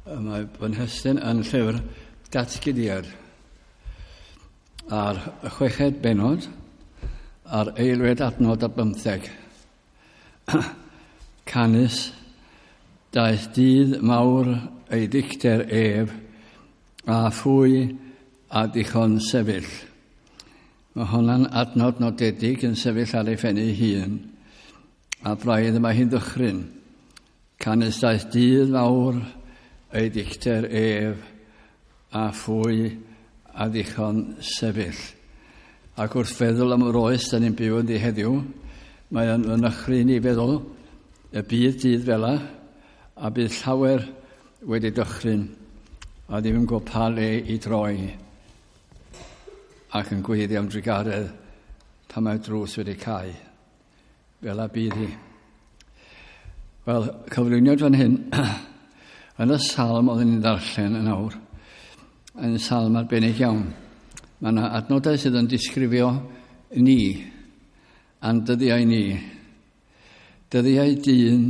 Mae fy nhestun yn llyfr Datguddiad a'r chweched bennod a'r eilwed adnod a bymtheg. Canys daeth dydd mawr ei dicter ef a phwy a dichon sefyll. Mae honna'n adnod nodedig yn sefyll ar ei phen ei hun, a braidd mae hi'n ddychryn. Canys daeth dydd mawr ei dicter ef a phwy a ddichon sefyll. Ac wrth feddwl am yr oes da ni'n byw ynddi heddiw, mae o'n fy nychryn i feddwl y bydd dydd fela, a bydd llawer wedi dychryn, a ddim yn gwybod pa le i droi, ac yn gweiddi am drugaredd pan mae'r drws wedi cau. Fel a bydd hi. Wel, cyflwyniad fan hyn, yn y salm oeddwn ni'n ddarllen yn awr, yn salm arbennig iawn. Mae yna adnodau sydd yn disgrifio ni, a'n dyddiau ni. Dyddiau dyn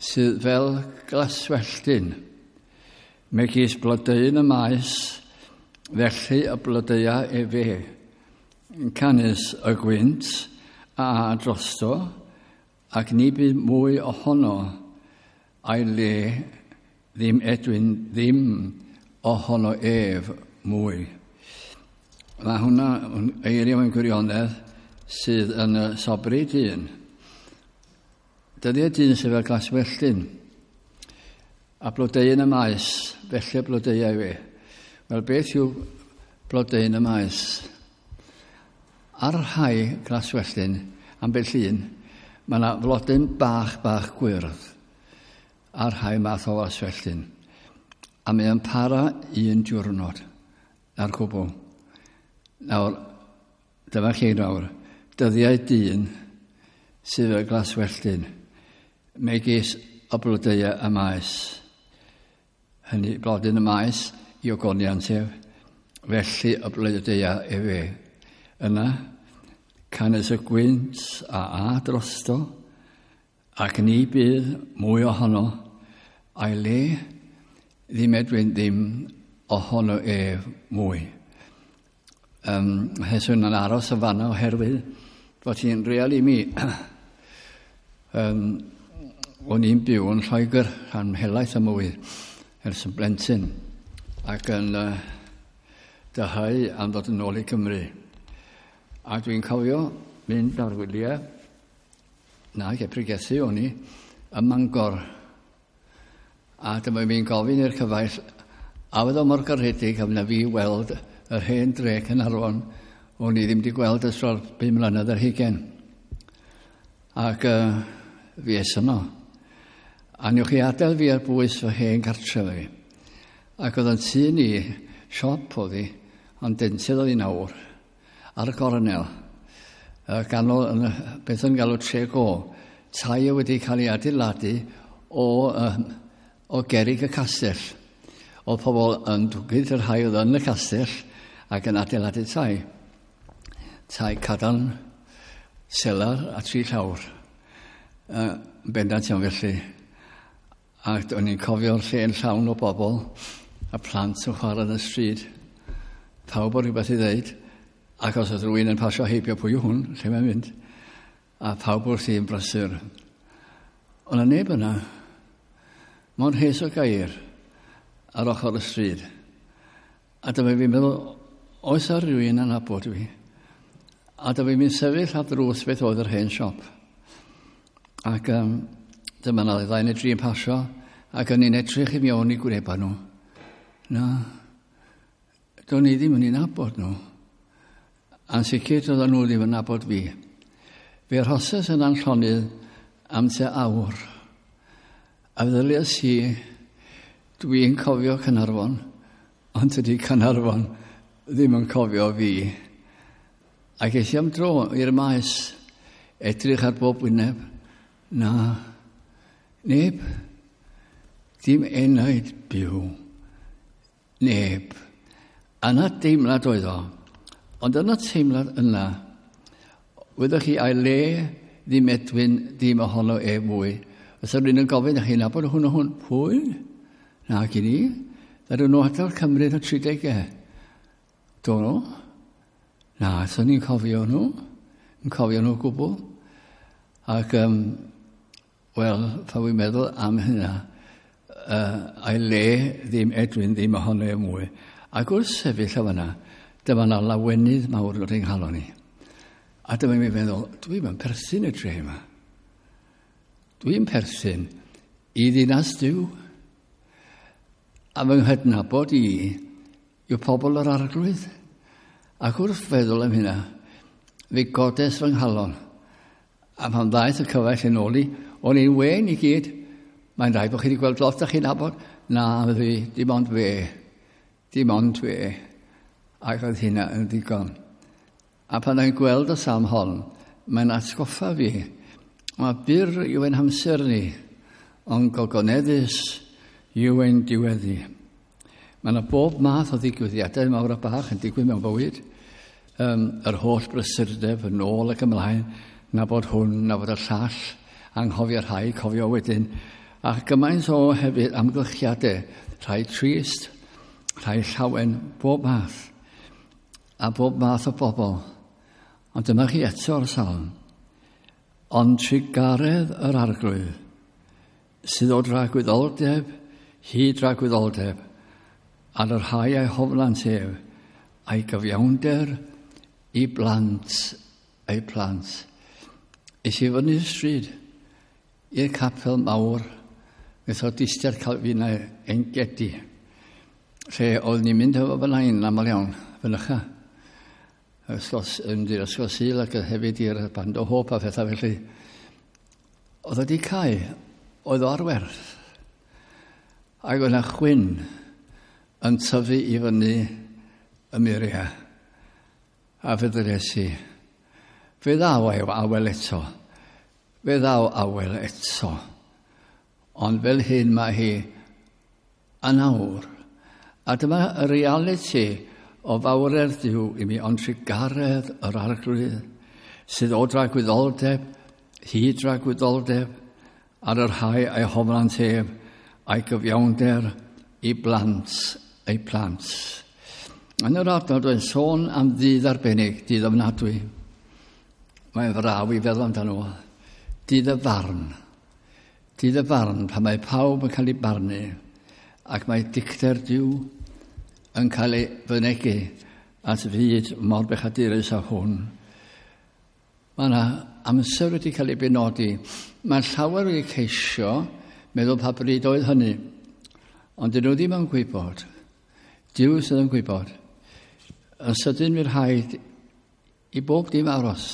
sydd fel glaswelltyn, megis blodeuyn y maes, felly y blodeua efe. Canys y gwynt a drosto, ac ni bydd mwy ohono, a'i le ddim edwyn ddim ohono ef mwy. Mae hwnna yn eiriau mewn gwirionedd sydd yn y sobri dyn. Dyddiau dyn sydd fel glaswelltyn a blodeuyn y maes, felly blodeuau fi. Wel, beth yw blodeuyn y maes? Ar rhai glaswelltyn, ambell un, mae yna flodyn bach bach gwyrdd ar rhai math o glaswelltyn. A mae o'n para un diwrnod, na'r cwbl. Nawr, dyma chi nawr, dyddiau dyn sydd fel glaswelltyn, megis y blodeuau y maes. Hynny, blodyn y maes i ogoniant ef, felly y blodeuau efe. Yna, canys y gwynt a a drosto, ac ni bydd mwy ohono, a'i le ddim edwyn ddim ohono ef mwy. Um, Heswn yn aros yn fanna oherwydd fod hi'n real i mi. O'n i'n byw yn Lloegr rhan helaeth o mywyd ers yn blentyn ac yn dyhau am ddod yn ôl i Gymru. A dwi'n cofio mynd ar wyliau, na, ge pregethu o'n i, ym Mangor. A dyma fi'n gofyn i'r cyfaill, a fydd o mor garedig am na fi weld yr hen dre Caernarfon, o'n i ddim wedi gweld ers dros 5 mlynedd ar hugain. Ac fi es yno. A newch chi adael fi ar bwys fy hen cartref fi. Ac oedd yn tŷ ni, siop oedd hi, ond dentydd oedd hi nawr, ar y gornel. Ganol, yn, beth yn galw tre go, tai wedi cael ei adeiladu o gerrig y castell. Oedd pobl yn dwgyd yr rhai oedd yn y castell ac yn adeiladu tai. Tai cadarn, selar a tri llawr. Bendant iawn felly. Ac o'n i'n cofio'r lle'n llawn o bobl a plant yn chwarae yn y stryd. Pawb o rhywbeth i ddeud. Ac os oedd rhywun yn pasio heibio, pwy yw hwn, lle mae'n mynd? A pawb wrth i'n brysur. Ond yna neb yna. Mor rhes o gair ar ochr y stryd. A dyma fi'n meddwl, oes ar rhywun yn nabod fi? A dyma fi'n sefyll ar ddrws beth oedd yr hen siop. Ac dyma na ddau neu dri yn pasio, ac o'n i'n edrych i mewn i gwynebau nhw. Na, do'n i ddim yn ei nabod nhw. A'n sicr doedden nhw ddim yn nabod fi. Fe arhoses yn llonydd am tua awr. A feddyliais i, dwi'n cofio Caernarfon, ond tydi Caernarfon ddim yn cofio fi. Ac es i am dro i'r maes, edrych ar bob wyneb. Na, neb, dim enaid byw, neb. Yna deimlad oedd o, ond yna teimlad yna, wyddoch chi, a'i le ddim edwyn ddim ohono e mwy. Os rhywun yn gofyn, chi nabod hwn o hwn, pwy? Na, gyn i. Ddaru nhw adael Cymru yn y 30au. Do nhw? Na, so ni'n cofio nhw. Yn cofio nhw gwbl. Ac, wel, pan wy'n meddwl am hynna, a'i le ddim Edwin ddim ohono e mwy. Ac wrth sefyll o fanna, dyma na lawenydd mawr yn dod i'n nghalon i. A dyma mi'n meddwl, dwi'n yn perthyn y dre yma. Dwi'n perthyn i ddinas Duw. A fy nghydnabod i yw pobl yr Arglwydd. Ac wrth feddwl am hynna, fe godes fy nghalon. A pan ddaeth y cyfaill yn ôl i, o'n i'n wen i gyd. Mae'n rhaid bod chi wedi gweld lot a chi'n nabod. Na, fi, dim ond fe. Dim ond fe. Ac oedd hynna yn ddigon. A pan o'n gweld y salm hon, mae'n atgoffa fi. Mae byr yw ein hamser ni, ond gogoneddus yw ein diweddi. Mae yna bob math o ddigwyddiadau mawr a bach yn digwydd mewn bywyd. Yr holl brysurdeb yn ôl ac ymlaen, na bod hwn, na bod y llall, anghofio rhai, cofio wedyn. A gymaint o hefyd amgylchiadau, rhai trist, rhai llawen, bob math, a bob math o bobl. Ond dyma chi eto'r salm. Ond trugaredd yr Arglwydd, sydd o dragwyddoldeb hyd dragwyddoldeb, ar y rhai a'i hofnant ef, a'i gyfiawnder i blant eu plant. Es i fyny'r stryd i'r capel mawr, Methodistiaid Calfinau Engedi, lle oedd ni'n mynd efo fy nain yn aml iawn, fynycha. Ysgol, mynd i'r ysgol Sul ac hefyd i'r Band o Hope a phethau felly. Oedd wedi cau, oedd o ar werth. Ac oedd yna chwyn yn tyfu i fyny y muriau. A fe ddwedes i, fe ddaw awel eto. Fe ddaw awel eto. Ond fel hyn mae hi yn awr. A dyma y realiti o fawredd Duw i mi, ond trugaredd yr Arglwydd, sydd o dragwyddoldeb, hyd dragwyddoldeb, ar y rhai a'i hofnant ef, a'i gyfiawnder i blant eu plant. Yn yr adnod, mae'n sôn am ddydd arbennig, dydd ofnadwy. Mae'n fraw i feddwl amdano fo. Dydd y farn. Dydd y farn, pan mae pawb yn cael ei barnu, ac mae dicter Duw yn cael ei fynegi at fyd mor bechadurus â hwn. Mae yna amser wedi cael ei benodi. Mae llawer wedi ceisio meddwl pa bryd oedd hynny, ond dyn nhw ddim yn gwybod. Duw sydd yn gwybod. Yn sydyn fydd rhaid i bob dim aros.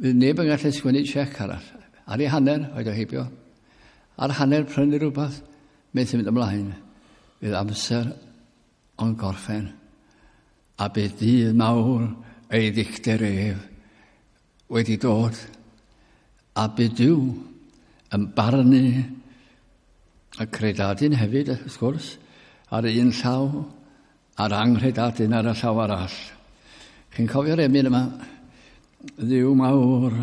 Fydd neb yn gallu sgwennu siec arall. Ar ei hanner, oed o heibio. Ar hanner prynu rhywbeth, methu mynd ymlaen. Fydd amser o'n gorffen. A bydd dydd mawr ei ddicter ef wedi dod. A bydd Duw yn barnu y credadun hefyd, wrth gwrs, ar un llaw, a'r anghredadun ar y llaw arall. Chi'n cofio'r emyn yma? Dduw mawr,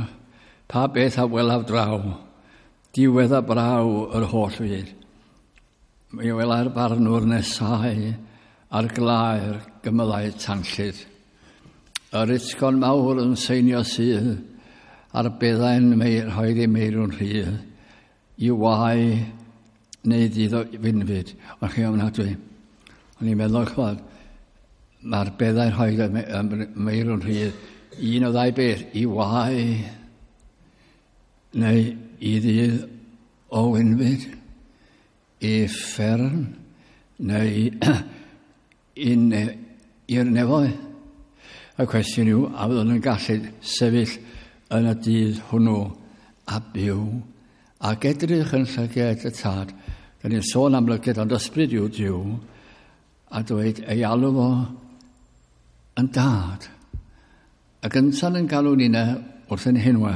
pa beth a welaf draw, diwedd a braw yr holl fyd. Mi wela'r barnwr nesau ar glaer gymylau tanllyd. Yr utgorn mawr yn seinio sydd, a'r beddau'n rhoid ei meirw'n rhydd, i wae neu ddydd o fynfyd. Ond chi ofnadwy. O'n i'n meddwl, chwad, mae'r beddau'n rhoi y meirw'n rhydd, un o ddau beth, i wae neu i ddydd o wynfyd, i uffern neu i'r nefoedd. Y cwestiwn yw, a fyddwn yn gallu sefyll yn y dydd hwnnw a byw ac edrych yn llyged y tad. Da ni'n sôn am lyged, ond ysbryd yw Duw, a dweud ei alw fo yn dad. Ac yntan yn galw ni wrth ein henwa,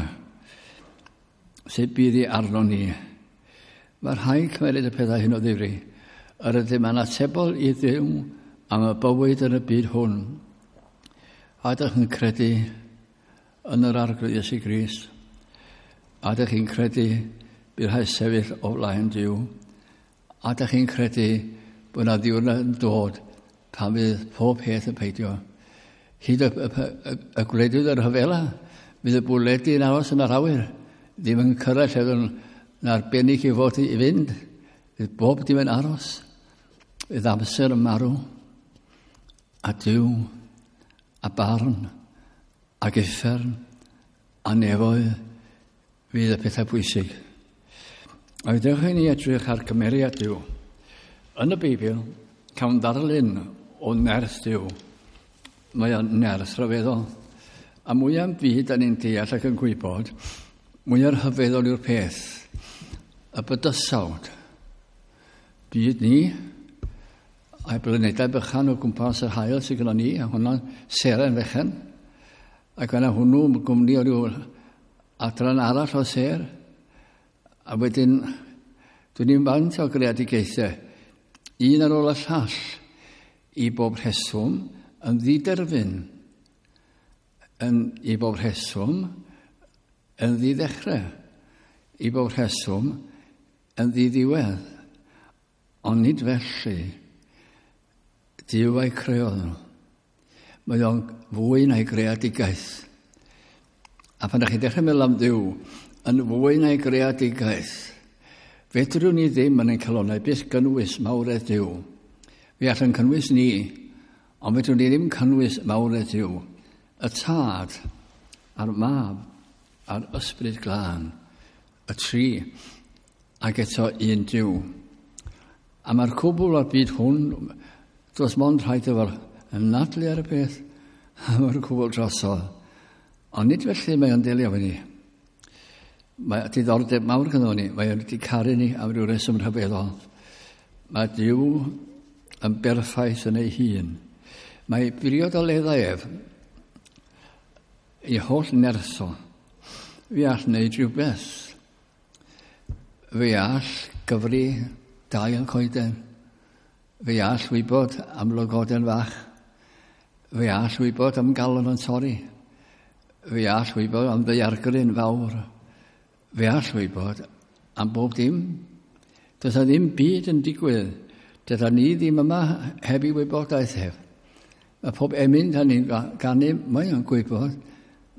sut bydd i arno ni. Mae rhaid cymeryd y pethau hyn o ddifri. Yr ydym yn atebol i Dduw am y bywyd yn y byd hwn. A ydych yn credu yn yr Arglwydd Iesu Grist? A ydych chi'n credu bydd rhaid sefyll o flaen Duw? A da chi'n credu bod yna ddiwrnod yn dod pan fydd pob peth yn peidio. Hyd y gwledydd yr rhyfela, fydd y bwledi yn aros yn yr awyr. Ddim yn cyrraedd lle yn arbennig i fod i fynd. Fydd bob dim yn aros. Fydd amser yn marw. A Duw, a barn, ac uffern, a nefoedd, fydd y pethau pwysig. A dewch i ni edrych ar cymeriad Duw. Yn y Beibl, cawn ddarlun o nerth Duw. Mae o'n nerth rhyfeddol. A mwyaf byd da ni'n deall ac yn gwybod, mwyaf rhyfeddol yw'r peth. Y bydysawd. Byd ni, a'i blanedau bychan o gwmpas yr haul sydd gyda ni, a hwnna'n seren fechan. Ac yna hwnnw gwmni o ryw adran arall o ser. A wedyn, dwi'n i'n faint o greadigaethau, un ar ôl y llall, i bob rheswm yn ddiderfyn, yn, i bob rheswm yn ddiddechrau, i bob rheswm yn ddiddiwedd. Ond nid felly, Duw a'i creodd nhw. Mae o'n fwy na'i greadigaeth. A pan ydych chi'n dechrau meddwl am Dduw, yn fwy na'i greadigaeth, fedrwn ni ddim yn ein calonnau byth gynnwys mawredd Duw. Fe allan cynnwys ni, ond fedrwn ni ddim cynnwys mawredd Duw. Y Tad, a'r Mab, a'r Ysbryd Glân, y tri, ac eto un Duw. A mae'r cwbl o'r byd hwn, does mond rhaid efo'r ymnadlu ar y peth, a mae'r cwbl drosodd. Ond nid felly mae o'n delio efo ni. Mae diddordeb mawr gyda ni, mae o'n wedi caru ni am ryw reswm rhyfeddol. Mae Duw yn berffaith yn ei hun. Mae briodoleddau ef i holl nertho. Fi all wneud rhywbeth. Fi all gyfri dail coeden. Fi all wybod am lygoden fach. Fi all wybod am galon yn torri. Fi all wybod am ddaeargryn fawr. Fi all wybod am bob dim. Does na ddim byd yn digwydd. Dyda ni ddim yma heb i wybodaeth ef. Mae pob emyn da ni'n ganu, mae o'n gwybod.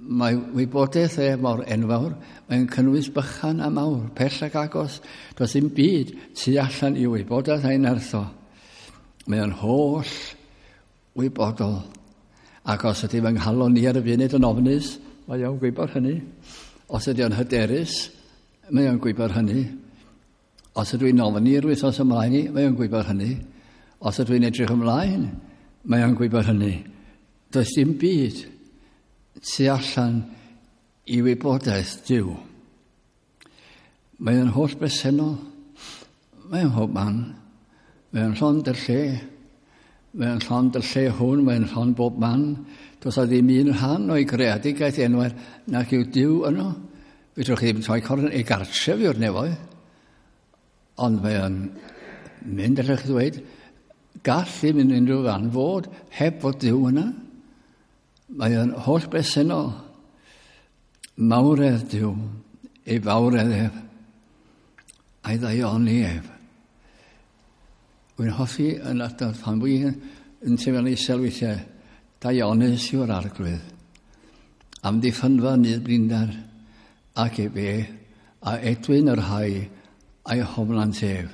Mae wybodaeth e mor enfawr. Mae'n cynnwys bychan a mawr, pell ac agos. Does ddim byd tu allan i wybodaeth a'i nertho. Mae o'n holl wybodol. Ac os ydy fy nghalon ni ar y funud yn ofnus, mae o'n gwybod hynny. Os ydy o'n hyderus, mae o'n gwybod hynny. Os ydw i'n ofni yr wythnos ymlaen i, mae o'n gwybod hynny. Os ydw i'n edrych ymlaen, mae o'n gwybod hynny. Does dim byd tu allan i wybodaeth Duw. Mae o'n holl bresennol. Mae o'n hob man. Mae o'n llond y lle. Mae o'n llond y lle hwn, mae o'n llond bob man. Does a ddim un rhan o'i greadigaeth enwair nac yw Duw yno. Fedrwch chi ddim troi corn ei gartref yw'r nefoedd. Ond mae o'n mynd, allwch chi ddweud, gall ddim yn unrhyw fan fod heb fod Duw yna. Mae o'n holl bresennol. Mawredd Duw, ei fawredd ef, a'i ddaioni ef. Wy'n hoffi yn adnodd pan fwy yn teimlo'n isel weithiau, daionus yw'r arglwydd. Amddiffynfa nid blinder, ac efe, a edwyn yr rhai a'i hoflant ef.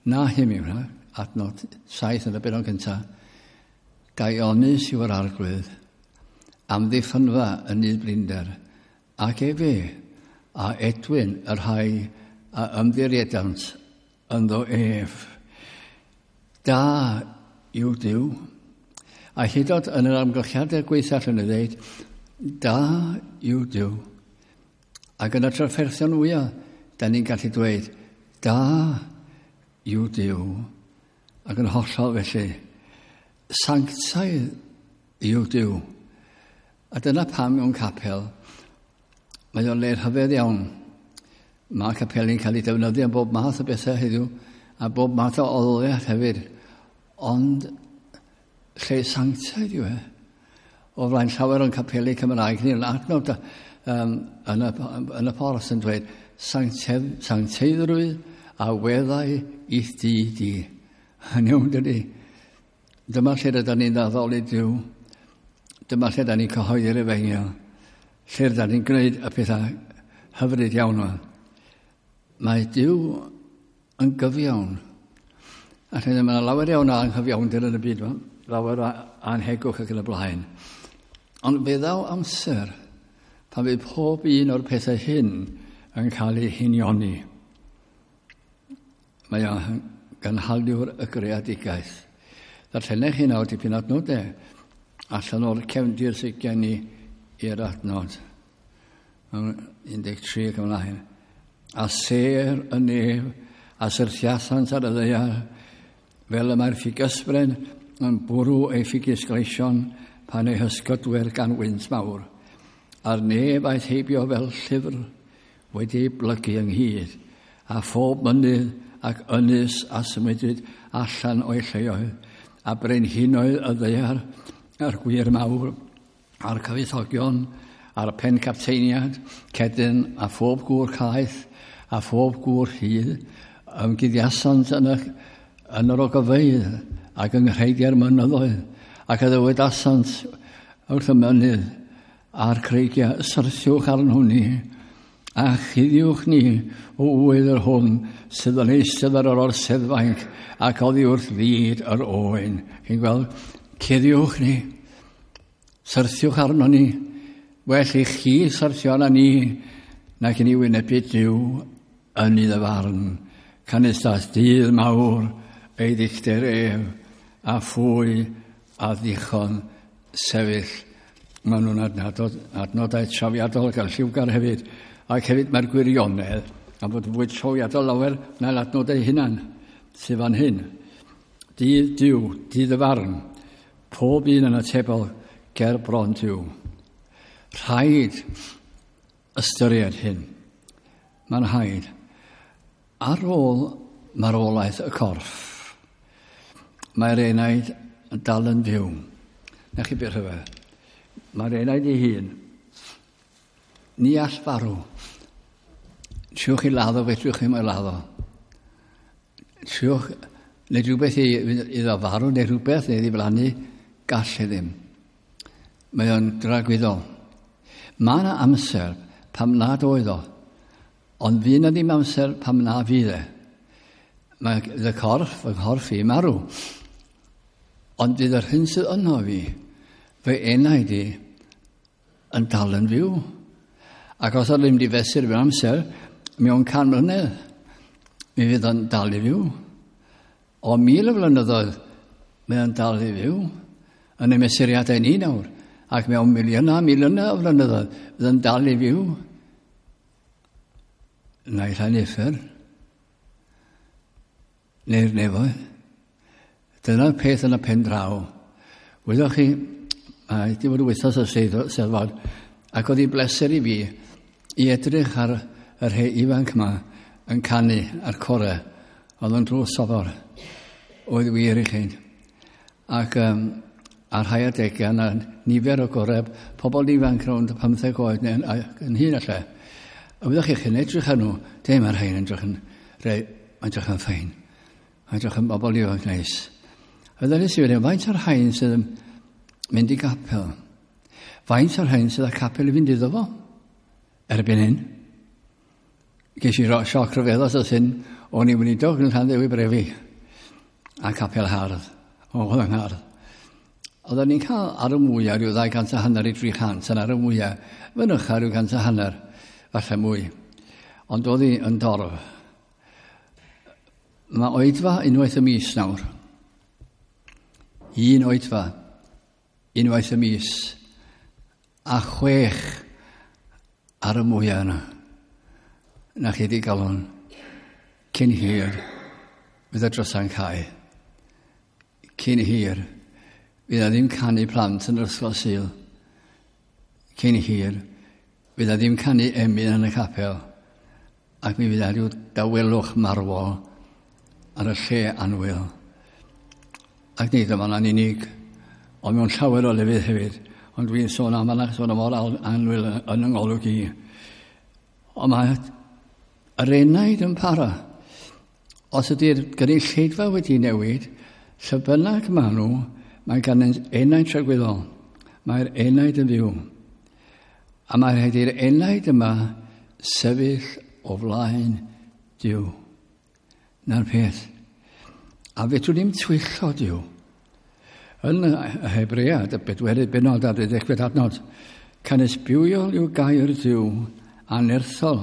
Na hym yw hwnna, adnod 7 yn y benod gyntaf. Daionus yw'r arglwydd, amddiffynfa yn nid blinder, ac efe, a edwyn y rhai a ymddiriedant ynddo ef. Da yw Duw. A hyd oed yn yr amgylchiadau gweitha allan i ddeud, da yw Duw. Ac yn y trafferthion fwyaf, da ni'n gallu dweud, da yw Duw. Ac yn hollol felly, sanctaidd yw Duw. A dyna pam mewn capel, mae o'n le rhyfedd iawn. Mae capeli'n cael ei defnyddio am bob math o bethau heddiw, a bob math o oliaeth hefyd. Ond lle sanctaidd yw e. O flaen llawer o'n capeli Cymraeg ni'n adnod yn y porth yn dweud sancteiddrwydd a weddau i'th dŷ di. Yn iawn, dydy. Dyma lle rydyn ni'n addoli Duw. Dyma lle rydyn ni'n cyhoeddi'r efengyl. Lle rydyn ni'n gwneud y pethau hyfryd iawn yma. Mae Duw yn gyfiawn. A lle mae yna lawer iawn o anghyfiawnder yn y byd yma, lawer o anhegwch ac yn y blaen. Ond fe ddaw amser pan fydd pob un o'r pethau hyn yn cael ei hunioni. Mae o'n gynhaliwr y greadigaeth. Ddarllenech chi nawr dipyn adnodau allan o'r cefndir sydd gen i i'r adnod. 13 ac ymlaen. A sêr y nef a syrthiasant ar y ddaear, fel y mae'r ffigysbren yn bwrw ei ffigys gleision pan ei hysgydwyr gan wynt mawr. A'r nef aeth heibio fel llyfr wedi ei blygu ynghyd, a phob mynydd ac ynys a symudwyd allan o'i lleoedd, a brenhinoedd y ddaear, a'r gwir mawr, a'r cyfoethogion, a'r pencapteiniad, cedyn a phob gŵr caeth, a phob gŵr rhydd, ymguddiasant yn, y, yn yr ogofeydd ac yng nghreigiau'r mynyddoedd, ac a ddywedasant wrth y mynydd a'r creigiau, syrthiwch arno ni, a chuddiwch ni o ŵydd yr hwn sydd yn eistedd ar yr orseddfainc ac oddi wrth fyd yr oen. Chi'n gweld? Cuddiwch ni. Syrthiwch arno ni. Well i chi syrthio arno ni nag i ni wynebu Duw yn iddo farn. Canys daeth dydd mawr ei ddicter ef, a phwy a ddichon sefyll. Maen nhw'n adnodau, adnodau trawiadol ac lliwgar hefyd. Ac hefyd mae'r gwirionedd, am fod yn fwy trawiadol lawer na'r adnodau hunan sydd fan hyn. Dydd Duw, dydd y farn, pob un yn atebol ger bron Duw. Rhaid ystyried hyn. Mae'n rhaid. Ar ôl marwolaeth y corff, mae'r enaid yn dal yn fyw. Na chi beth rhyfedd. Mae'r enaid ei hun. Ni all farw. Triwch i laddo, fedrwch chi mae laddo. Triwch, neu rhywbeth i, iddo farw, neu rhywbeth, neu ddiflannu, gall e ddim. Mae o'n dragwyddol. Mae yna amser pam nad oedd o, ond fydd yna ddim amser pam na fydd e. Mae y corff, fy nghorff i, marw. Ond fydd yr hyn sydd yno fi, fy enaid i, yn dal yn fyw. Ac os oedd ddim di fesur mewn amser, mewn 100 mlynedd, mi fydd o'n dal i fyw. O 1,000 o flynyddoedd, mae o'n dal i fyw. Yn y mesuriadau ni nawr. Ac mewn miliynau, miliynau o flynyddoedd, fydd o'n dal i fyw. Naill ai'n uffern, neu'r nefoedd. Dyna'r peth yn y pen draw. Wyddoch chi, mae wedi bod wythnos y Steddfod, ac oedd hi'n bleser i fi i edrych ar y rhai ifanc yma yn canu ar core. Oedd o'n drws sobor. Oedd wir i chi. Ac ar rhai adegau yna nifer o goreb, pobl ifanc rownd 15 oed neu yn hyn allan. A wyddoch chi, chi'n edrych ar nhw, de mae'r rhain yn edrych yn, re, mae'n edrych yn ffein. Mae'n edrych yn bobl ifanc neis. A fydda nes i wedi, faint o'r rhain sydd yn mynd i gapel? Faint o'r rhain sydd â capel i fynd iddo fo? Erbyn hyn. Ges i sioc rhyfeddol os hyn, o'n i'n weinidog yn Llanddewi Brefi a capel hardd. O, oedd yn hardd. Oedden ni'n cael ar y mwyaf rhyw 250 i 300, yn ar y mwyaf, fynycha rhyw 150, falle mwy. Ond oedd hi yn dorf. Mae oedfa unwaith y mis nawr. Un oedfa, unwaith y mis, a 6 ar y mwyaf yna. Na chi di galon, cyn hir, fydd y drysa'n cau. Cyn hir, fydd na ddim canu plant yn yr ysgol Sul. Cyn hir, fydd na ddim canu emyn yn y capel, ac mi fydd na rhyw dawelwch marwol ar y lle annwyl. Ac nid yma'n unig, ond mewn llawer o lefydd hefyd. Ond dwi'n sôn am yna, sôn am mor annwyl yn yng ngolwg i. Ond mae yr enaid yn para. Os ydy'r gynulleidfa wedi newid, lle bynnag maen nhw, mae gan enaid tragwyddol. Mae'r enaid yn fyw. A mae rhaid i'r enaid yma sefyll o flaen Duw. Na'r peth. A fedrwn ni'm twyllo Duw. Yn y Hebread, y bedwerydd benod a'r deuddegfed adnod, canys bywiol yw gair Duw a nerthol,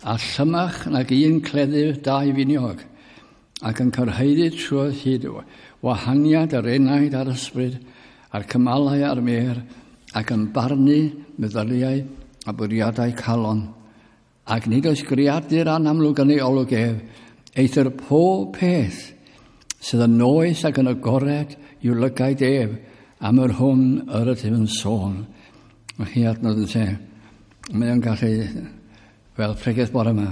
a llymach nag un cleddyf dau finiog, ac yn cyrhaeddu trwy hyd wahaniad yr enaid a'r ysbryd, a'r cymalau a'r mêr, ac yn barnu meddyliau a bwriadau calon. Ac nid oes greadur anamlwg yn ei olwg ef, eithr pob peth sydd yn noeth ac yn agored i'w lygaid ef am yr hwn yr ydym yn sôn. Mae chi adnod yn lle. Mae o'n gallu, fel pregeth bore yma,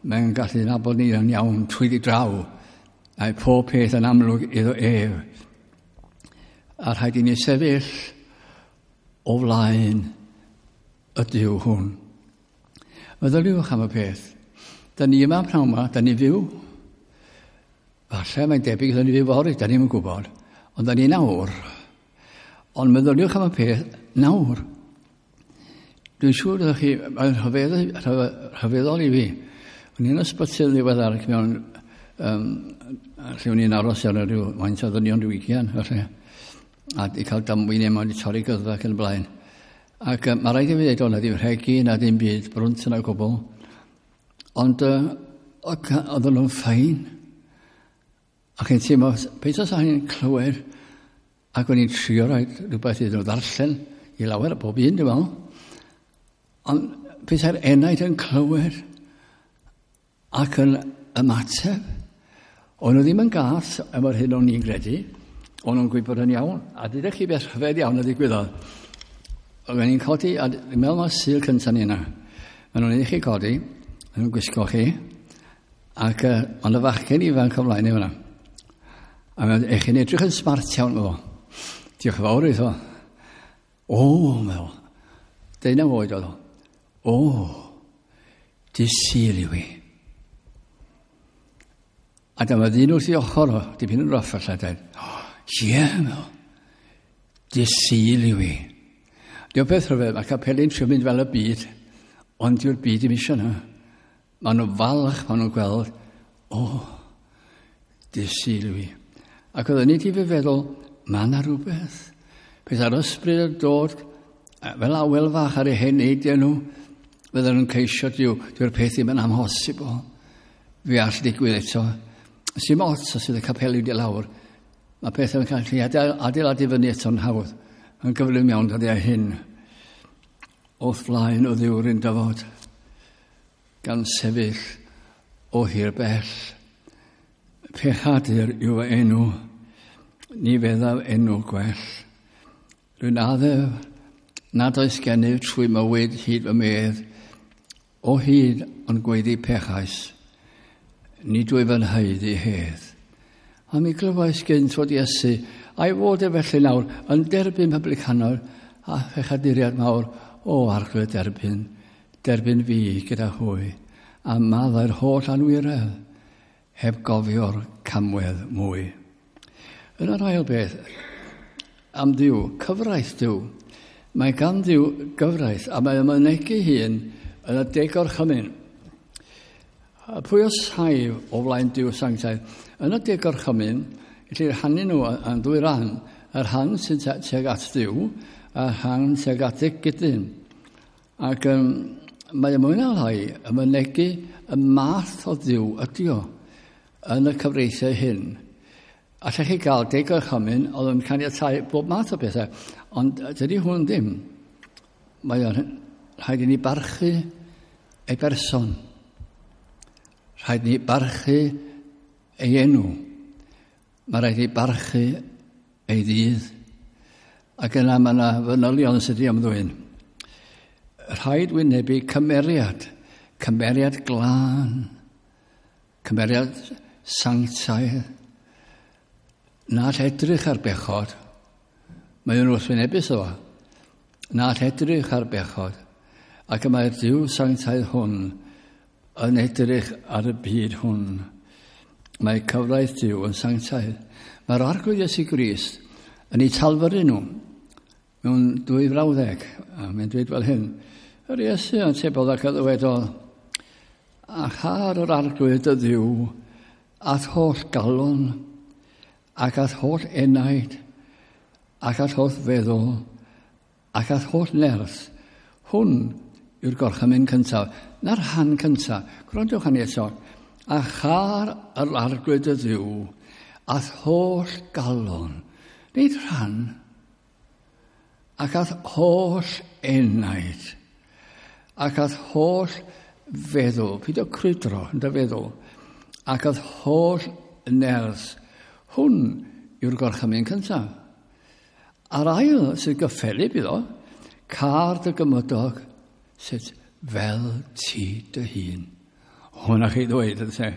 mae'n gallu nabod ni yn iawn trwy draw, a'i pob peth yn amlwg iddo ef. A rhaid i ni sefyll o flaen y Duw hwn. Meddyliwch am y peth. Da ni yma pnawn yma, da ni fyw. Falle mae'n debyg da ni fyw fory, da ni'n gwybod. Ond da ni nawr. Ond meddyliwch am y peth nawr. Dwi'n siŵr ydych chi, mae'n rhyfeddol i fi. O'n i'n ysbyty yn ddiweddar mewn, lle o'n i'n aros ar rhyw faint o ddynion rhyw ugian, felly. A di cael damwain yma, wedi torri gyddfa ac yn y blaen. Ac mae rhaid i fi ddweud, o'na ddim rhegi na ddim byd, brwnt yna gwbl. Ond oedden nhw'n fine. Ac yn teimlo, beth os o'n i'n clywed, ac o'n i'n trio rhoi rhywbeth iddyn nhw ddarllen i lawer o bob un, dwi'n meddwl. Ond petai'r enaid yn clywed ac yn ymateb, o'n nhw ddim yn gath efo'r hyn o'n i'n gredu, o'n nhw'n gwybod yn iawn, a dydych chi beth rhyfedd iawn a ddigwyddodd. Oedden ni'n codi, a dwi'n meddwl mae'r Sul cyntaf ni yna. Maen nhw'n ei chi codi, maen nhw'n gwisgo chi, ac ond y fachgen ifanc o flaen i fyna. A mae'n eich chi'n edrych yn smart iawn, efo. Diolch yn fawr iddo. O, meddwl. 19 oed oedd o. O, dydd Sul yw i. A dyma ddyn wrth ei ochr o, dipyn yn rough falle, dweud, ie, meddwl, dydd Sul yw i. Diolch beth rhyfedd, mae capeli'n trio mynd fel y byd, ond dyw'r byd ddim eisiau yna. Maen nhw'n falch, maen nhw'n gweld, o, dydd Sul yw i. Ac oedden ni wedi fy feddwl, mae yna rhywbeth. Peth ar ysbryd yn dod, fel awel fach ar eu heneidiau nhw, fydden nhw'n ceisio Duw, dyw'r peth ddim yn amhosibl. Fe all digwydd eto. Sim ots os ydy capeli wedi lawr. Mae pethau'n cael ei adeiladu fyny eto'n hawdd. Yn gyflym iawn dyddiau hyn. Wrth flaen o Dduw'r un dyfod, gan sefyll o hir bell. Pechadur yw fy enw, ni feddaf enw gwell. Rwy'n addef nad oes gennyf trwy mywyd hyd fy medd, o hyd ond gweiddi pechais, nid wyf yn haeddu hedd. A mi glywais gynt fod Iesu, a'i fod e felly nawr, yn derbyn publicanwr a phechaduriad mawr, o Arglwydd derbyn, derbyn fi gyda hwy, a maddau'r holl anwiredd, heb gofio'r camwedd mwy. Yn yr ail beth, am Dduw, cyfraith Duw. Mae gan Dduw gyfraith, a mae ymynegu hun yn y deg orchymyn. Pwy o saif o flaen Duw sanctaidd? Yn y deg orchymyn, gellir rhannu nhw yn ddwy ran. Y rhan sy'n tuag at Dduw, a'r rhan tuag at y gydyn. Ac mae mwy na lai yn mynegu y math o Dduw ydi o yn y cyfreithiau hyn. Allech chi gael deg orchymyn oedd yn caniatáu bob math o bethau, ond dydy hwn ddim. Mae o'n rhaid i ni barchu ei berson. Rhaid ni barchu ei enw. Mae rhaid i barchu ei ddydd. Ac yna mae yna fanylion sydd wedi ymddwyn. Rhaid wynebu cymeriad, cymeriad glân, cymeriad sanctaidd. Na all edrych ar bechod. Mae o'n wrthwynebus o. Na all edrych ar bechod. Ac y mae'r Duw sanctaidd hwn yn edrych ar y byd hwn. Mae cyfraith Duw yn sanctaidd. Mae'r Arglwydd Iesu Grist yn ei talfyru nhw mewn dwy frawddeg. A mae'n dweud fel hyn. Yr Iesu yn tebodd ac a ddywedodd, a char yr Arglwydd dy Dduw at holl galon ac at holl enaid ac at holl feddwl ac at holl nerth. Hwn yw'r gorchymyn cyntaf. Na'r rhan cyntaf. Gwrandwch arni eto. A char yr Arglwydd y Dduw at holl galon. Nid rhan. Ac at holl enaid. Ac at holl feddwl. Peidio crwydro yn dy feddwl. Ac at holl nerth. Hwn yw'r gorchymyn cyntaf. A'r ail sydd gyffelyb iddo, car dy gymydog sut fel ti dy hun. Hwna chi ddweud, ynte.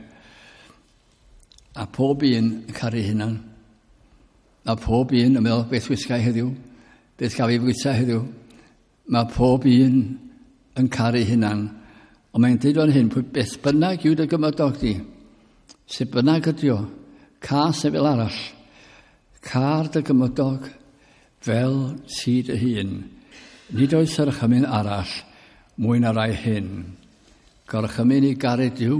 A pob un yn caru hunan. A pob un yn meddwl, beth wisgai heddiw? Beth gaf i fwyta heddiw? Mae pob un yn caru hunan. Ond mae'n dweud fan hyn, pwy beth bynnag yw dy gymydog di, sut bynnag ydi o, cas neu fel arall, car dy gymydog fel ti dy hun. Nid oes orchymyn arall mwy na rai hyn. Gorchymyn i garu Duw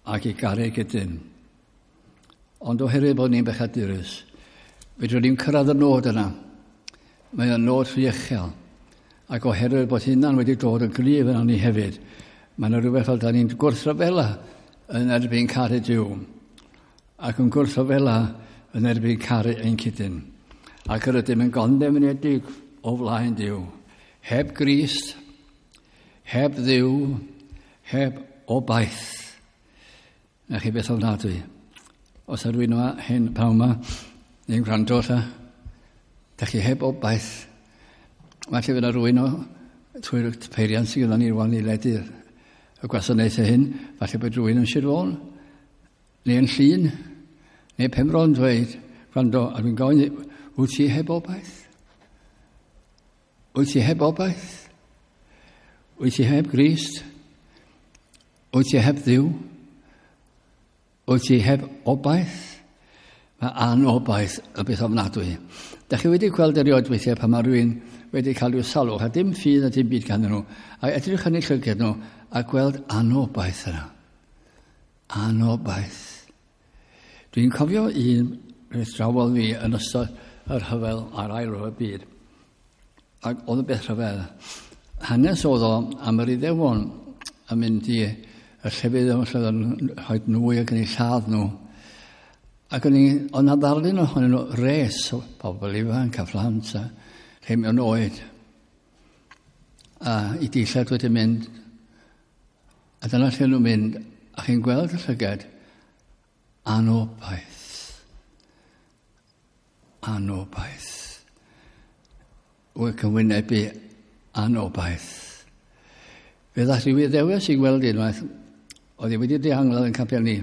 ac i garu gydyn. Ond oherwydd bod ni'n bechadurus, fedrwn ni'n cyrraedd y nod yna. Mae o'n nod rhy uchel. Ac oherwydd bod hynna'n wedi dod yn gryf yna ni hefyd, mae yna rhywbeth fel da ni'n gwrthryfela yn erbyn caru Duw. Ac yn gwrthryfela yn erbyn caru ein cydyn. Ac yr ydym yn gondemnedig o flaen Duw. Heb Grist, heb Dduw, heb obaith. Na chi beth ofnadwy. Os ydw i'n yma hyn pnawn yma, neu'n gwrando lla, da chi heb obaith. Falle fydd yna rhywun o trwy'r peiriant sydd gyda ni rwan i ledu'r y gwasanaethau hyn, falle bod rhywun yn Sir Fôn, neu yn Llŷn, neu Penfro yn dweud, gwrando, a dwi'n gofyn, wyt ti heb obaith? Wyt ti heb obaith? Wyt ti heb Grist? Wyt ti heb Dduw? Wyt ti heb obaith? Mae anobaith y beth ofnadwy. Da chi wedi gweld erioed weithiau pan mae rhywun wedi cael rhyw salwch a dim ffydd a dim byd ganddyn nhw, a edrych yn eu llygad nhw a gweld anobaith yna. Anobaith. Dwi'n cofio un rhywbeth drawodd fi yn ystod yr rhyfel a'r ail ryfel byd. Ac oedd y beth rhyfedd. Hanes oedd o am yr Iddewon yn mynd i y llefydd yma lle oedd yn rhoi nwy ac yn eu lladd nhw. Ac o'n i, oedd 'na ddarlun ohonyn nhw, res o bobl ifanc a phlant a rhai mewn oed. A i dillad wedi mynd. A dyna lle nhw'n mynd, a chi'n gweld y llygad, anobaith. Anobaith. Ac yn wynebu anobaith. Fe ddaeth rhyw Iddewes i gweld unwaith, oedd hi wedi dihangladd yn capel ni.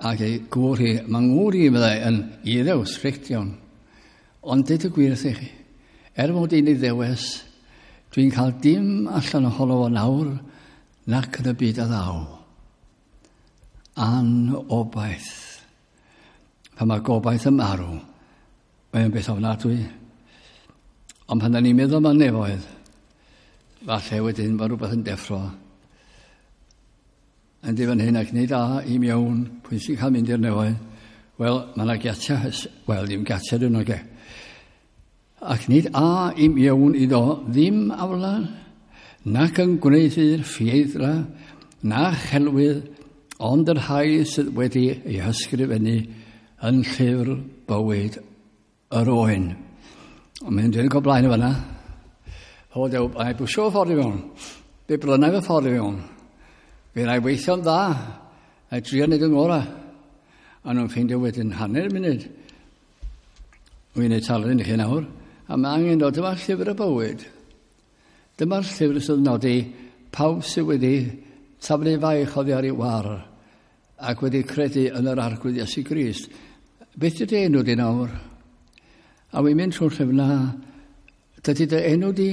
Ac ei gŵr hi, mae ngŵr i, meddai, yn Iddew, strict iawn. Ond dweud y gwir wrth i chi, er mod i'n Iddewes, dwi'n cael dim allan ohono fo nawr nac yn y byd a ddaw. Anobaith. Pan mae gobaith yn marw, mae'n beth ofnadwy. Ond pan da ni'n meddwl am y nefoedd, falle wedyn mae rhywbeth yn deffro. Yn fan hyn ac nid a i mewn, pwy sy'n cael mynd i'r nefoedd? Wel, mae yna giatiau, wel, ddim giatiau dyn nhw, ge. Ac nid a i mewn iddo ddim aflan, nac yn gwneuthur ffieiddra, na chelwydd, ond yr rhai sydd wedi ei hysgrifennu yn llyfr bywyd yr oen. Ond mae'n dweud go blaen y fanna. O, dew, a i bwysio fy ffordd i fewn. Fe brynau fy ffordd i fewn. Fe wna i weithio'n dda. A i drio wneud yn ngorau. A nhw'n ffeindio wedyn hanner munud. Wy'n ei talu i chi nawr. A mae angen dod, dyma'r llyfr y bywyd. Dyma'r llyfr sydd yn nodi pawb sydd wedi taflu faich oddi ar ei war ac wedi credu yn yr Arglwydd Iesu Grist. Beth ydy enw di nawr? A wy'n mynd trwy'r llyfr na, dydy dy enw di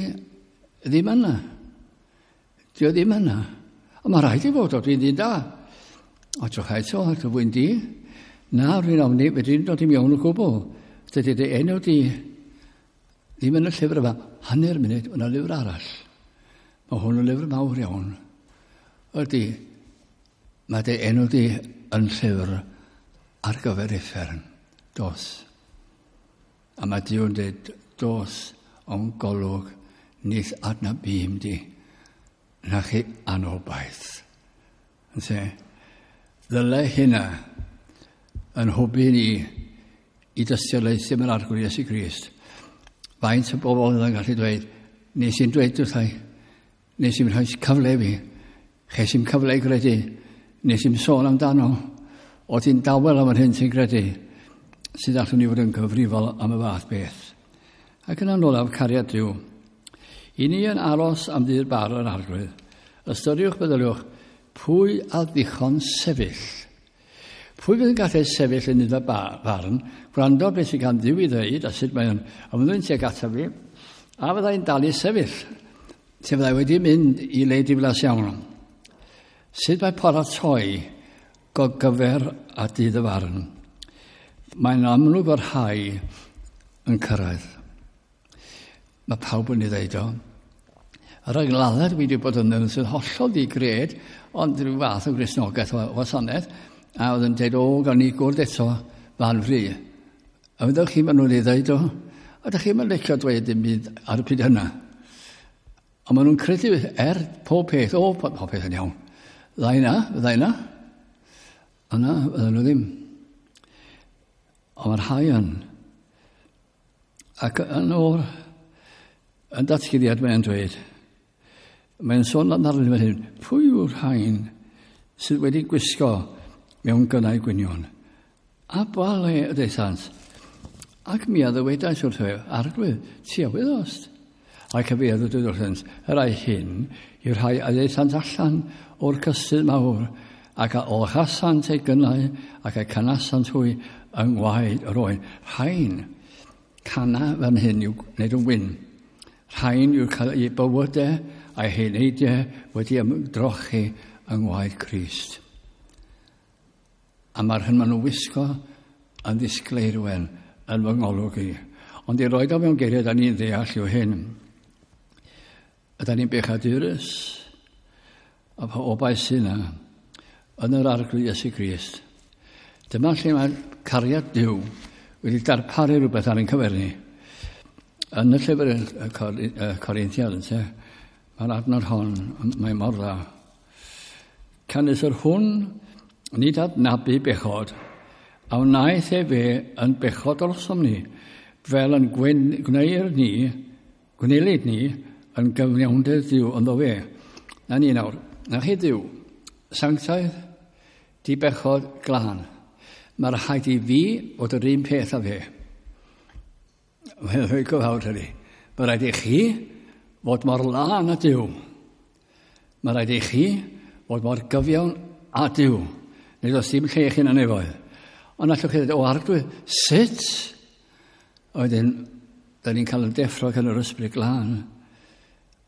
ddim yna. Di o ddim yna. Ond mae rhaid i fod o, dwi'n ddyn da. O, drwch eto, ac y fwyn di. Na, rwy'n ofni, fedri'n dod i mewn o gwbl. Dydy dy enw di ddim yn y llyfr yma. Hanner munud, yna lyfr arall. Mae hwn yn lyfr mawr iawn. Ydy, mae dy enw di yn llyfr ar gyfer uffern. Dos. A mae Duw'n dweud, dos o'n golwg, nith adnabûm di, na chi anobaith. Yn se, ddyle hynna yn hwbu ni i dystiolaethu mewn Arglwydd Iesu Grist. Faint o bobl yn gallu dweud, nes i'n dweud wrthai, nes i'n rhoi cyfle fi, ches i'n cyfle i gredu, nes i'n sôn amdano, o ti'n dawel am yr hyn sy'n credu, sydd allwn ni fod yn cyfrifol am y fath beth. Ac yn olaf, cariad Duw. I ni yn aros am ddydd bar yr Arglwydd, ystyriwch, meddyliwch, pwy a ddichon sefyll? Pwy fydd yn gallu sefyll yn iddo farn, gwrando beth sydd gan Dduw i ddweud a sut mae'n ymddwyn tuag ato fi, a fyddai'n dal i sefyll, lle fyddai wedi mynd i le diflas iawn. Sut mae paratoi gogyfer a dydd y farn? Mae'n amlwg o'r rhai yn cyrraedd. Mae pawb yn ei ddeud o. Yr angladdau dwi wedi bod yn ddyn sydd hollol di-gred, ond rhyw fath o Gristnogaeth o wasanaeth, a oedd yn dweud, o, gawn ni gwrdd eto fan fri. A fyddwch chi, maen nhw'n ei ddeud o, a ydych chi'n licio dweud dim byd ar y pryd hynna. Ond maen nhw'n credu er pob peth, o, pob peth yn iawn. Ddau na, ddau na. Yna, fydden nhw ddim. Ond mae'r rhai yn. Ac yn o'r yn datguddiad mae'n dweud, mae'n sôn am arnyn fan hyn, pwy yw'r rhain sydd wedi gwisgo mewn gynnau gwynion? A ba le y daethant? Ac mi a ddywedais wrtho ef, Arglwydd, ti a wyddost. Ac y fi a ddywedwyd wrthynt, y rhai hyn yw'r rhai a ddaethant allan o'r cystudd mawr, ac a olchasant eu gynnau, ac a canasant hwy yng ngwaed yr oen. Rhain, cana fan hyn i'w gwneud yn wyn. Rhain yw'r cael eu bywydau a'i heneidiau wedi ymdrochi yng ngwaed Crist. A mae'r hyn maen nhw'n wisgo yn ddisgleirwen yn fy ngolwg i. Ond i roed o mewn geiriau, da ni'n ddeall yw hyn. Yda ni'n bechadurus, a pa obaith sy'n yna, yn yr Arglwydd Iesu Grist. Dyma lle mae cariad Duw wedi darparu rhywbeth ar ein cyfer ni. Yn y llyfr y Corinthiad, ynte, mae'r adnod hon, mae mor dda. Canys yr hwn nid adnabu bechod, a wnaeth efe yn bechod drosom ni, fel yn gwneir ni, gwnelid ni, yn gyfiawnder Duw ynddo fe. Na ni nawr, na chi Duw, sanctaidd, di bechod glân. Mae'r rhaid i fi fod yr un peth â fe. Mae'n rhaid gyfawr hynny. Mae rhaid i chi fod mor lân â Duw. Mae rhaid i chi fod mor gyfiawn â Duw. Nid oes dim lle chi'n anefoedd. Ond allwch chi ddweud, o Arglwydd, sut? A wedyn, da ni'n cael y deffro gan yr Ysbryd Glân.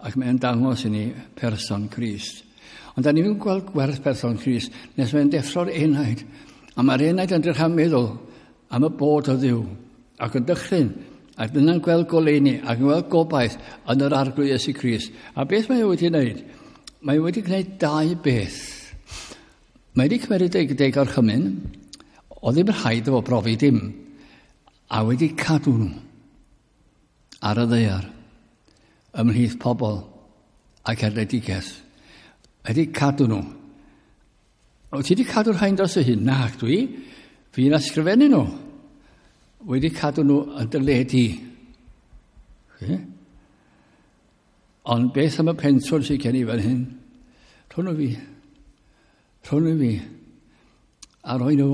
Ac mae'n dangos i ni person Crist. Ond da ni'n gweld gwerth person Crist nes mae'n deffro'r enaid. A mae'r enaid yn dechrau meddwl am y bod o Dduw. Ac yn dychryn. Ac dyna'n gweld goleuni ac yn gweld gobaith yn yr Arglwydd Iesu Grist. A beth mae o wedi wneud? Mae wedi gwneud dau beth. Mae wedi cymryd deg, deg orchymyn, o ddim rhaid o brofi dim, a wedi cadw nhw ar y ddaear ymhlith pobl ac erledigaeth. Wedi cadw nhw. O, ti wedi cadw'r rhain dros y hyn? Na, dwi. Fi'n ysgrifennu nhw. Wedi cadw nhw yn dy le di. Okay. Ond beth am y pentwr sydd gen i fan hyn? Rhwn nhw fi. Rhwn nhw fi. A rhoi nhw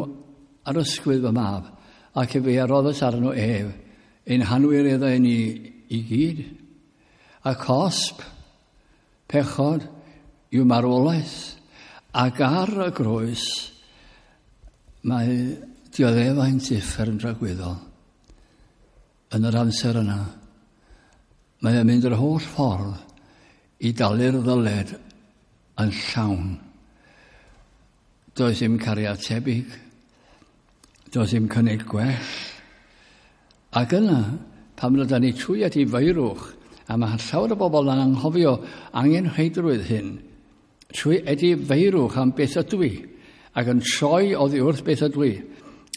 ar ysgwydd fy mab, ac efe a roddes arno ef, ein hanwireddau ni i gyd. A cosb, pechod, yw marwolaeth, ac ar y groes mae dioddefaint uffern dragwyddol. Yn yr amser yna, mae e'n mynd yr holl ffordd i dalu'r ddyled yn llawn. Does dim cariad tebyg. Does dim cynnig gwell. Ac yna, pan rydyn ni trwy edifeirwch, a mae llawer o bobl yn anghofio angenrheidrwydd hyn, trwy edifeirwch am beth ydw i, ac yn troi oddi wrth beth ydw i,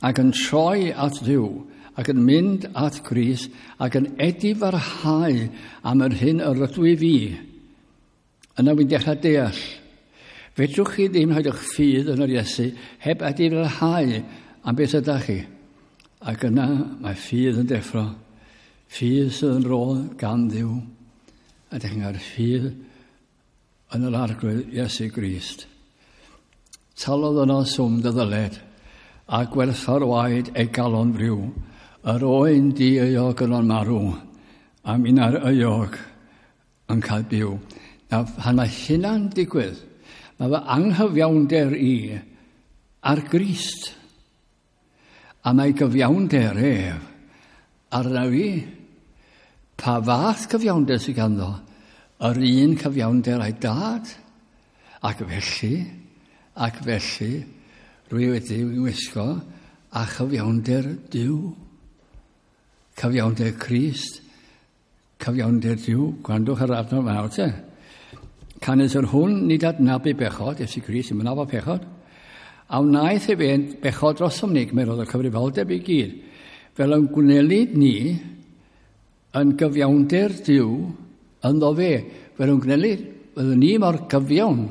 ac yn troi at Dduw, ac yn mynd at Grist, ac yn edifarhau am yr hyn yr ydw i fi, yna wy'n dechrau deall. Fedrwch chi ddim rhoi eich ffydd yn yr Iesu heb edifarhau am beth ydych chi. Ac yna mae ffydd yn deffro. Ffydd sydd yn rôl gan Dduw. A ydych chi'n cael ffydd yn yr Arglwydd Iesu Grist. Talodd yno swm dy ddyled, a gwerthfawr waed ei galon friw. Yr oen di-euog yno'n marw, a minna'r euog yn cael byw. Nawr, pan mae hynna'n digwydd, mae fy anghyfiawnder i ar Grist. A mae gyfiawnder ef arna fi. Pa fath cyfiawnder sydd ganddo? Yr un cyfiawnder a'i dad. Ac felly, rwy wedi wisgo a chyfiawnder Duw. Cyfiawnder Crist, cyfiawnder Duw. Gwrandwch ar adnod nawr te. Canys yr hwn nid adnabu bechod, Iesu Grist yn mynaf o pechod, a wnaeth ef ein bechod drosom ni, gymerodd y cyfrifoldeb i gyd, fel yn gwnelid ni yn gyfiawnder Duw ynddo fe, fel yn gwnelid, byddwn ni mor gyfiawn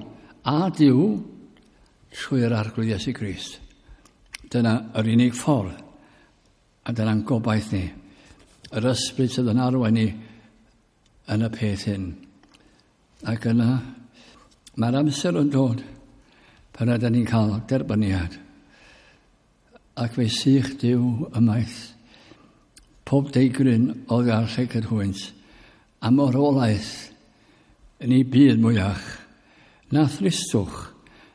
a Duw trwy'r Arglwydd Iesu Grist. Dyna yr unig ffordd, a dyna'n gobaith ni. Yr ysbryd sydd yn arwain ni yn y peth hyn. Ac yna, mae'r amser yn dod pan ydyn ni'n cael derbyniad. Ac fe sych Duw ymaith pob deigryn oddi ar llygad hwynt, am orolaeth yn ei byd mwyach, na thristwch,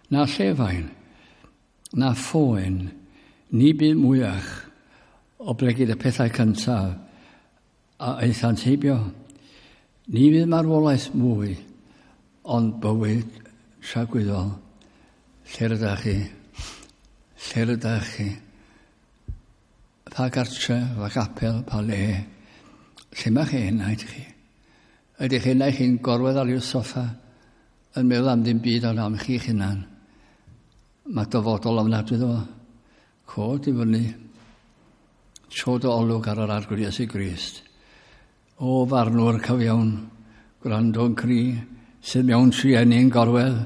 na llefain, na phoen, ni byd mwyach, oblegid y pethau cyntaf a aethant heibio. Ni fydd marwolaeth mwy, ond bywyd tragwyddol. Lle rydych chi? Lle rydych chi? Pa gartre, pa gapel, pa le? Lle mae chi enaid chi? Ydych chi enaid chi'n gorwedd ar i'w soffa yn meddwl am ddim byd ond am chi'ch hunan? Mae dyfodol ofnadwy iddo fo. Cod i fyny. Tro dy olwg ar yr Arglwydd Iesu Grist. O farnwr cyfiawn, gwrando'n cri, sydd mewn trueni'n gorwedd,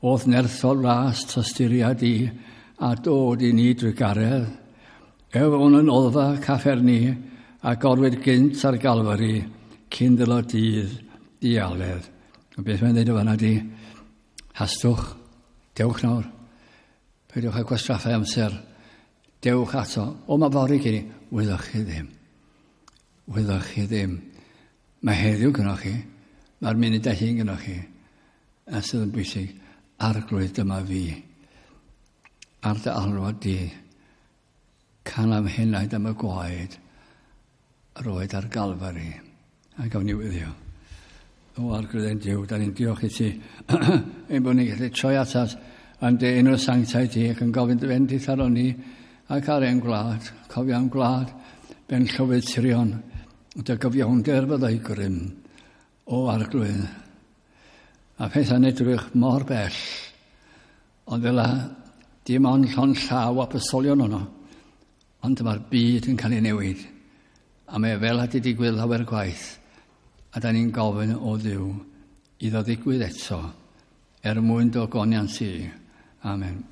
o'th nerthol ras tosturiad i, a dod i ni drwy garedd. Ef o'n yn olfa cafferni, a gorwedd gynt ar Galfari, cyn ddilo dydd dialedd. A beth mae'n dweud o fanna di, hastwch, dewch nawr, peidiwch â gwastraffau amser, dewch ato. O, mae fory gen i, wyddoch chi ddim. Wyddoch chi ddim. Mae heddiw gynnwch chi, mae'r munudau hyn gynnwch chi, a sydd yn bwysig, Arglwydd dyma fi, ar dy alwad di, can am henaid am y gwaed, yr oed ar Galfari. A gawn ni wyddio. O Arglwydd ein Duw, da ni'n diolch i ti, ein bod ni'n gallu troi atat yn dy enw sanctaidd ti ac yn gofyn dy fendith aron ni ac ar ein gwlad, cofio am gwlad, ben llywydd tirion, dy gyfiawnder fyddai grym, o Arglwydd. A pethau'n edrych mor bell, ond fel a dim ond llond llaw a bysolion ono, ond mae'r byd yn cael ei newid, a mae fel a di digwydd lawer gwaith, a da ni'n gofyn o Dduw iddo ddigwydd eto, er mwyn dy ogoniant ti. Amen.